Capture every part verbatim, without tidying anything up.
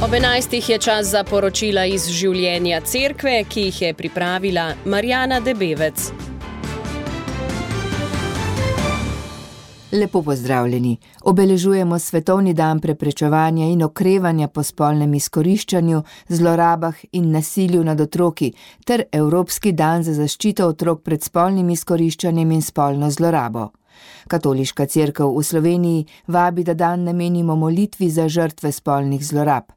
Ob enajstih je čas za poročila iz življenja cerkve, ki jih je pripravila Marjana Debevec. Lepo pozdravljeni. Obeležujemo Svetovni dan preprečevanja in okrevanja po spolnem izkoriščanju, zlorabah in nasilju nad otroki ter Evropski dan za zaščito otrok pred spolnim izkoriščanjem in spolno zlorabo. Katoliška cerkev v Sloveniji vabi, da dan namenimo molitvi za žrtve spolnih zlorab.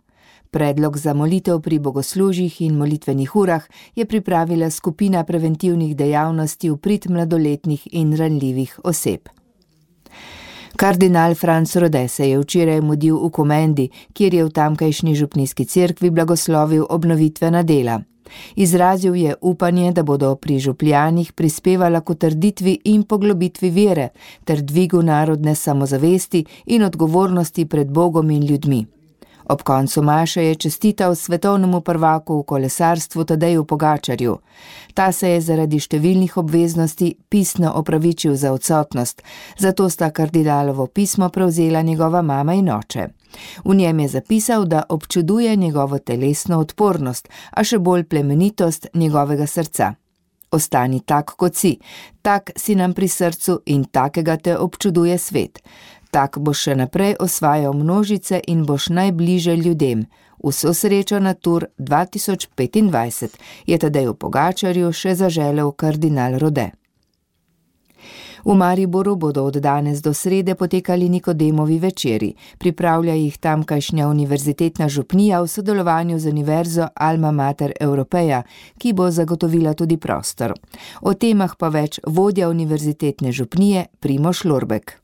Predlog za molitev pri bogoslužjih in molitvenih urah je pripravila skupina preventivnih dejavnosti v prid mladoletnih in ranljivih oseb. Kardinal Franc Rode se je včeraj mudil v Komendi, kjer je v tamkajšnji župnijski cerkvi blagoslovil obnovitvena dela. Izrazil je upanje, da bodo pri župljanih prispevala k utrditvi in poglobitvi vere ter dvigu narodne samozavesti in odgovornosti pred Bogom in ljudmi. Ob koncu maše je čestital svetovnemu prvaku v kolesarstvu Tadeju Pogačarju. Ta se je zaradi številnih obveznosti pisno opravičil za odsotnost, zato sta kardinalovo pismo prevzela njegova mama in oče. V njem je zapisal, da občuduje njegovo telesno odpornost, a še bolj plemenitost njegovega srca. Ostani tak, kot si, tak si nam pri srcu in takega te občuduje svet. Tak boš še naprej osvajal množice in boš najbliže ljudem. Vso srečo na Tour dva tisoč petindvajset je Tadeju Pogačarju še zaželel kardinal Rode. V Mariboru bodo od danes do srede potekali Nikodemovi večeri. Pripravlja jih tamkajšnja univerzitetna župnija v sodelovanju z Univerzo Alma Mater Europeja, ki bo zagotovila tudi prostor. O temah pa več vodja univerzitetne župnije Primož Lorbek.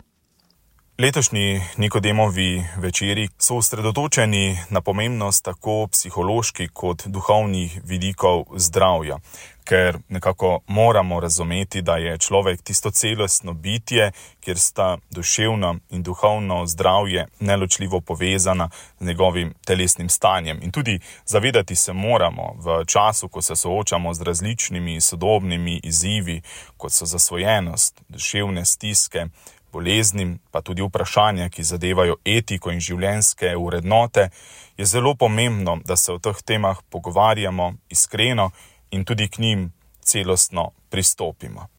Letošnji Nikodemovi večeri so osredotočeni na pomembnost tako psiholoških kot duhovnih vidikov zdravja, ker nekako moramo razumeti, da je človek tisto celostno bitje, kjer sta duševno in duhovno zdravje neločljivo povezana z njegovim telesnim stanjem. In tudi zavedati se moramo v času, ko se soočamo z različnimi sodobnimi izzivi, kot so zasvojenost, duševne stiske, boleznim, pa tudi vprašanja, ki zadevajo etiko in življenjske vrednote, je zelo pomembno, da se o teh temah pogovarjamo iskreno in tudi k njim celostno pristopimo.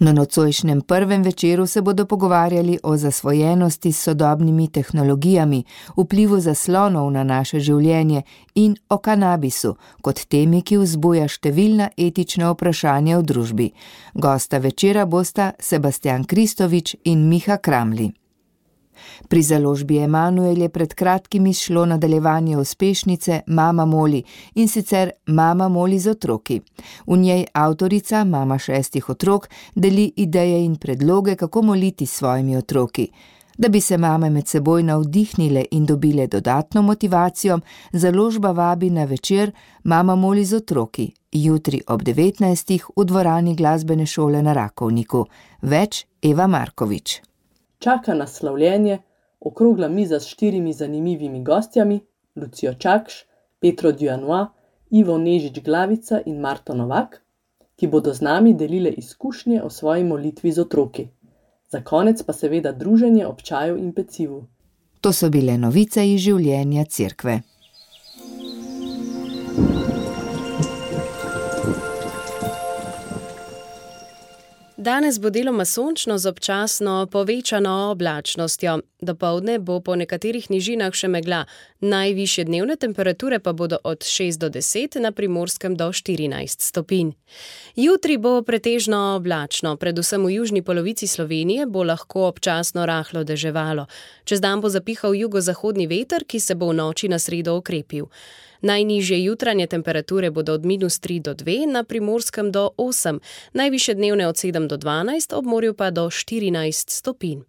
Na nocojšnjem prvem večeru se bodo pogovarjali o zasvojenosti s sodobnimi tehnologijami, vplivu zaslonov na naše življenje in o kanabisu, kot temi, ki vzbuja številna etična vprašanja v družbi. Gosta večera bosta Sebastian Kristovič in Miha Kramli. Pri založbi Emanuel je pred kratkim izšlo nadaljevanje uspešnice Mama Moli, in sicer Mama Moli z otroki. V njej avtorica, mama šestih otrok, deli ideje in predloge, kako moliti s svojimi otroki. Da bi se mame med seboj navdihnile in dobile dodatno motivacijo, založba vabi na večer Mama Moli z otroki, jutri ob devetnajstih v dvorani glasbene šole na Rakovniku. Več Eva Markovič. Čaka nas slavljenje, okrogla miza s štirimi zanimivimi gostjami, Lucijo Čakš, Petro Dujanois, Ivo Nežič Glavica in Marto Novak, ki bodo z nami delile izkušnje o svoji molitvi z otroki. Za konec pa seveda druženje ob čaju in pecivu. To so bile novice iz življenja cerkve. Danes bo deloma sončno z občasno povečano oblačnostjo. Dopoldne bo po nekaterih nižinah še megla. Najvišje dnevne temperature pa bodo od šest do deset, na Primorskem do štirinajst stopinj. Jutri bo pretežno oblačno, predvsem v južni polovici Slovenije bo lahko občasno rahlo deževalo. Čez dan bo zapihal jugozahodni veter, ki se bo v noči na sredo okrepil. Najnižje jutranje temperature bodo od minus tri do dve, na Primorskem do osem, najvišje dnevne od sedem do dvanajst, ob morju pa do štirinajst stopinj.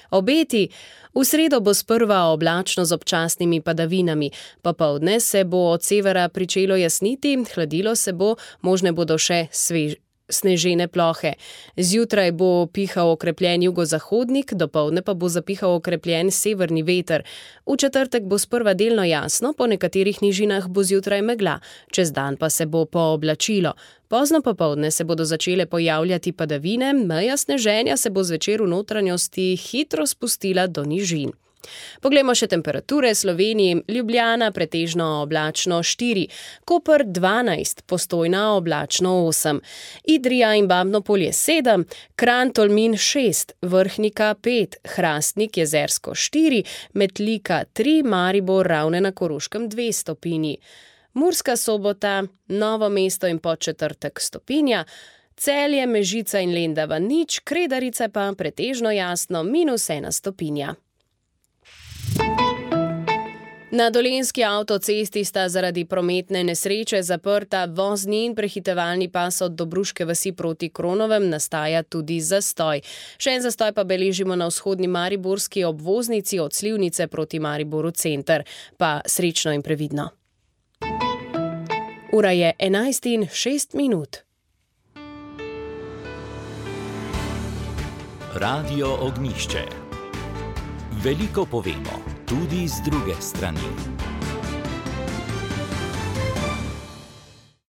Obeti. V sredo bo sprva oblačno z občasnimi padavinami. Popoldne se bo od severa pričelo jasniti, hladilo se bo, možne bodo še svež. Snežene plohe. Zjutraj bo pihal okrepljen jugozahodnik, dopoldne pa bo zapihal okrepljen severni veter. V četrtek bo sprva delno jasno, po nekaterih nižinah bo zjutraj megla, čez dan pa se bo pooblačilo. Pozno popoldne se bodo začele pojavljati padavine, meja sneženja se bo zvečer v notranjosti hitro spustila do nižin. Poglejmo še temperature. Sloveniji: Ljubljana pretežno oblačno štiri, Koper dvanajst, Postojna oblačno osem, Idrija in Babno Polje sedem, Kranj, Tolmin šest, Vrhnika pet, Hrastnik, Jezersko štiri, Metlika tri, Maribor, Ravne na Koroškem dve stopinji, Murska Sobota, Novo mesto in Podčetrtek stopinja, Celje, Mežica in Lendava nič, Kredarice pa pretežno jasno minus ena stopinja. Na Dolenjski avtocesti sta zaradi prometne nesreče zaprta vozni in prehitevalni pas od Dobruške vasi proti Kronovem, nastaja tudi zastoj. Še en zastoj pa beležimo na vzhodni mariborski obvoznici od Slivnice proti Mariboru center. Pa srečno in previdno. Ura je enajst in šest minut. Radio Ognjišče. Veliko povemo, tudi z druge strani.